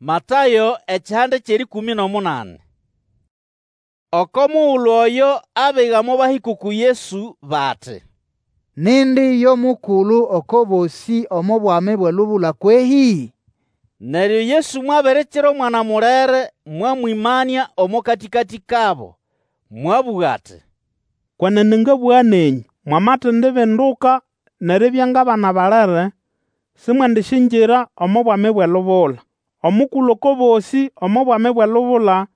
Matayo ekihanda ky'erĩkũmĩ n'omunani. Oko mugulu oyo abiga mobahĩka uku Yesu bati, Nindi yo mukulu oko bosĩ omo Bwami bw'elubula kwehĩ? Neryo Yesu mwabirikira omwana mulere mwamwĩmania omo katĩkatĩ kabo, mwabũga ati, Kwenene ngabũga nenyũ, Mwamatendibinduka n'eribya ng'abana balere, simwendisyingira omo Bwami bw'elubula. Omukulu oko bosĩ omo Bwami bw'elubula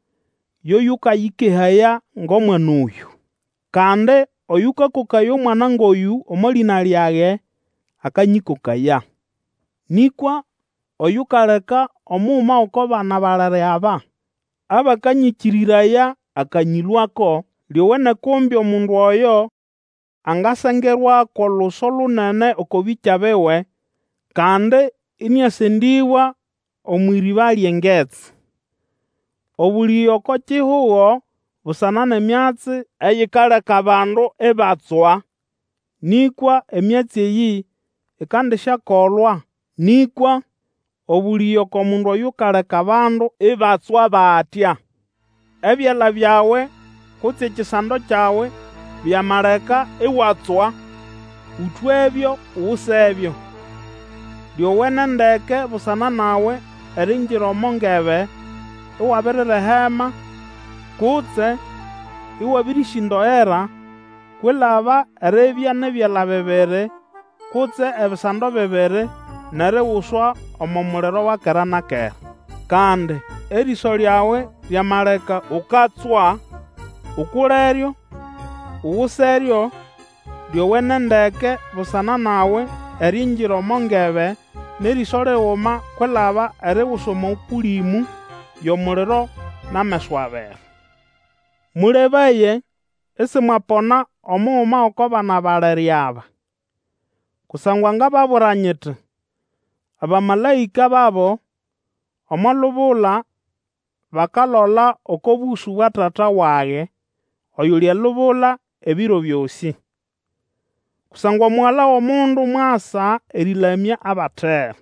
yo yũkayĩkehaya ng'omwana oyũ. Kandi oyũkakokaya omwana ng'oyũ omo lĩna lyage, akanyĩkokaya. Nĩkwa oyukaleka omuguma g'oko bana balere aba abakanyĩkĩrĩraya akanyĩlũako, lyowene kumbe omundu oyo angasengerwako oluso lunene oko bĩkya biwe, kandi ĩnĩasendĩbwa omw'ĩrĩba ly'engetsi. Obũlĩge oko kihugo busana n'emyatsi eyikaleka abandu ibatswa! Nĩkwa emyatsi eyĩ ikandisyakolwa. Nĩkwa obũlĩge oko mundu oyukaleka abandu ibatswa batya! Ebyala byawe kutse ekisando kyawe byamaleka iwatswa, ũtwebyo ugusebyo. Lyowene ndeke busana nawe eriingira omo ngebe iwabirirehema kutse ĩwabĩrĩsĩndoera, kwilaba eribya n'ebyala bibiri kutse ebisando bibiri n'eriguswa omo muliro wa kera na kera. Kandi erĩso lyawe lyamaleka ukatswa, ukuleryo, uguseryo. Lyowene ndeke busana nawe eriingira omo ngebe n'erĩso liguma kwilaba eriguswa omo Kũlĩmũ y'omuliro n'ameso abiri. Mũlebaye isimwapona omuguma g'oko bana balere aba. Kusangwa ngababwira nyiti, Abamalaĩka babo omo lubula bakalola oko bũsũ bwa Tata wage oyuli elubula ebiro byosĩ. Kusangwa Omugala w'Omundu mwasa erĩlamya abatera.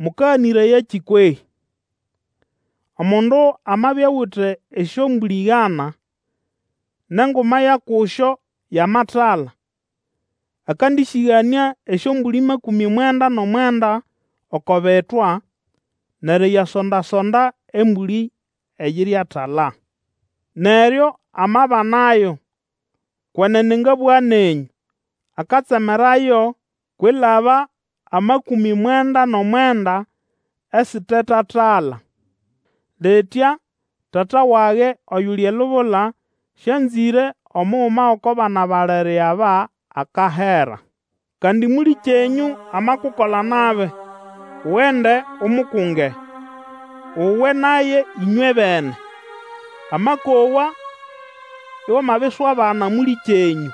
Mũkaganĩrayakĩ kwehĩ? Omundu amabya awite esyombũlĩ igana, n'enguma ya kusyo yamatala, akandĩsĩganĩa esyombũlĩ makũmĩ mwenda n'omwenda oko bitwa, n'eriyasonda-sonda embũlĩ eyiriatala. Neryo amabanayo, kwenene ngabũga nenyũ, akatsemerayo kwilaba amakũmĩ mwenda n'omwenda esitetatala. Litya Tata wage oyuli elubula sĩanzĩre omuguma g'oko bana balere aba akahera. Kandi mũlĩkyenyũ amakukola nabi, ugende umukunge, uwe naye ĩnywebene. Amakowa, iwamabiswabana mũlĩkyenyũ.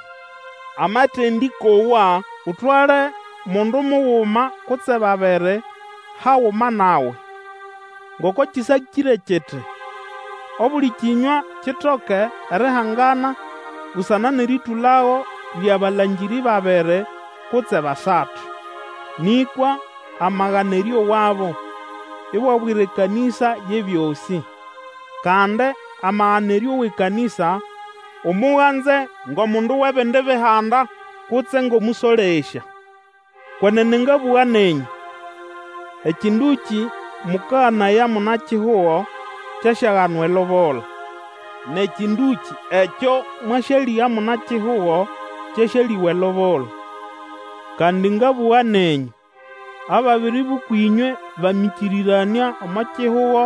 Amatendĩkowa, utwale mundu muguma kutse babiri haguma nawe, ngoko kĩsakĩre kiti, Obuli kĩnywa kitoke erihangana busana n'erĩtũlago ly'abalangĩrĩ babiri kutse basatu. Nĩkwa amagana erĩowabo, iwabwira ekanĩsa y'ebyosĩ. Kandi amagana erĩowa ekanĩsa, umuganze ng'omundu w'ebindi Bihanda kutse ng'omũsolesya. Kwenene ngabũga nenyũ, ekĩndũkĩ mũkaganaya muna-kihugo kyasyaganwa elubula, n'ekĩndũkĩ ekyo mwasyalĩga muna-kihugo kyasyalĩgwa elubula. Kandi ngabũga nenyũ, ababiri b'ũkw'ĩnywe bamĩkĩrĩranĩa omo kihugo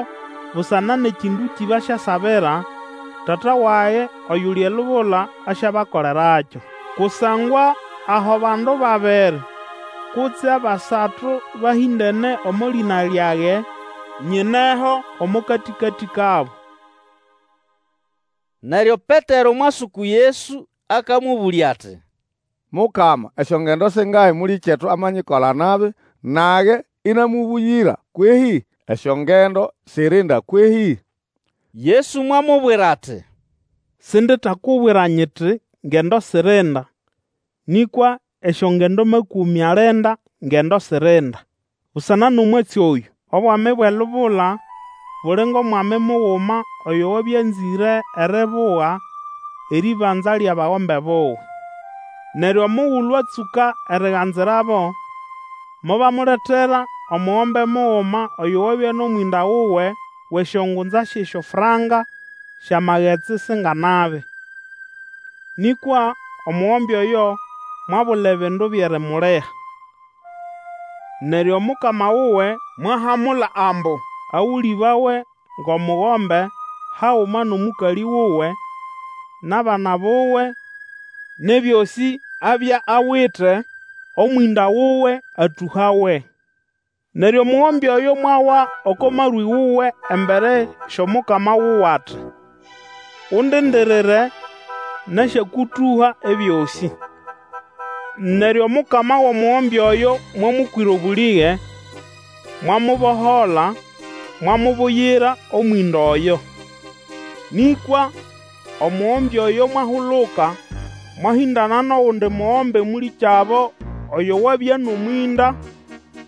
busana n'ekĩndũkĩ basyasabira, Tata wage oyuli elubula asyabakolerakyo. Kusangwa aho bandu babiri kutse basatu bahĩndene omo lĩna lyage, nyineho omo katĩkatĩ kabo. Neryo Petero mwasuku Yesu akamũbũlya ati, Mukama, esyongendo singahi mũlĩkyetu amanyikola nabi, nage ĩnamũbũyĩra kwehĩ? Esyongendo sirinda kwehĩ? Yesu mwamubwira ati, Sinditakubwira nyiti ngendo sirinda, nĩkwa esyongendo makũmĩ alinda ngendo sirinda. Busana n'omwatsi oyũ, Obwami bw'elubula buli ng'omwami muguma oyo wabya anzĩre eribuga erĩbanza ly'abagombe buwe. Neryo omugulu atsũka eriganzirabo, mobamuletera omugombe muguma oyo wabya n'omwĩnda wuwe w'esyongunza sy'esyofranka sy'amagetsi singanabi. Nĩkwa omugombe oyo mwabula ebindu by'erimuliha. Neryo omukama wuwe mwahamula ambu agũlĩbawe ng'omugombe haguma n'omũkalĩ wuwe, n'abana buwe, n'ebyosĩ abya awite, omwĩnda wuwe atũhawe. Neryo omugombe oyo mwawa oko marwĩ wuwe embere sy'omukama wuwe ati, Undindirire, nasyakũtũha ebyosĩ. Neryo omukama w'omugombe oyo mwamũkwĩra obũlĩge, mwamubohola, mwamubuyira omwĩnda oyo. Nĩkwa omugombe oyo mwahuluka, mwahĩndana n'ogundi mugombe mũlĩkyabo oyo wabya n'omwĩnda,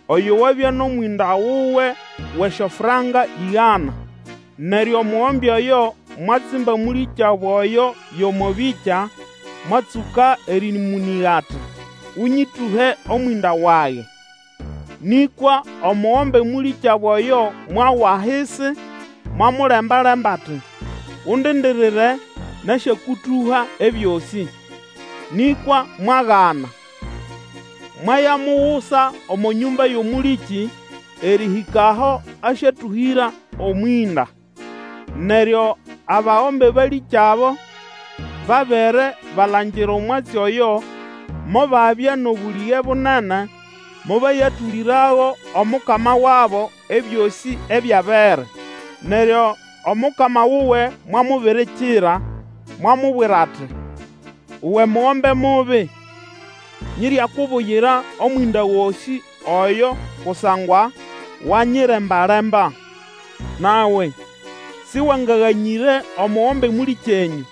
oyo wabya n'omwĩnda wuwe w'esyofranka ĩgana. Neryo omugombe oyo mwatsimba mũlĩkyabo oyo y'omo bĩkya, mwatsũka erĩmũnĩga ati, Ũnyĩtũhe omwĩnda wage. Nĩkwa omugombe mũlĩkyabo oyo mwawa ahisi, mwamulemba-lemba ati, Undindirire, nasyakũtũha ebyosĩ. Nĩkwa mwagana, mwayamugusa omo nyũmba y'omũlĩkĩ, erĩhĩka aho asyatũhĩra omwĩnda. Neryo abagombe balĩkyabo babere balangira omwatsi oyo, mobabya n'obũlĩge bunene, mobayatũlĩrago omukama wabo ebyosĩ ebyabere. Neryo omukama wuwe mwamubirikira, mwamubwira ati, Uwe mugombe mubi, nyiryakubuyira omwĩnda gosĩ oyo kusangwa wanyiremba-lemba. Nawe sĩwangaganyĩre omugombe mũlĩkyenyũ,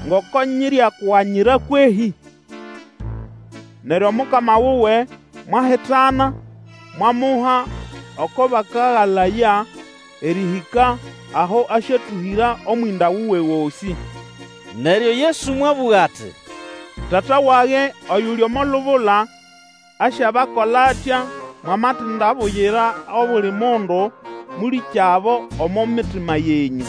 ngoko nyiryakuganyira kwehĩ? Neryo omukama wuwe mwahitana, mwamuha oko bakagalaya erĩhĩka aho asyatũhĩra omwĩnda wuwe gosĩ. Neryo Yesu mwabũga ati, Tata wage oyuli omo lubula asyabakola atya mwamatindabuyira obuli mundu mũlĩkyabo omo mitima yenyũ.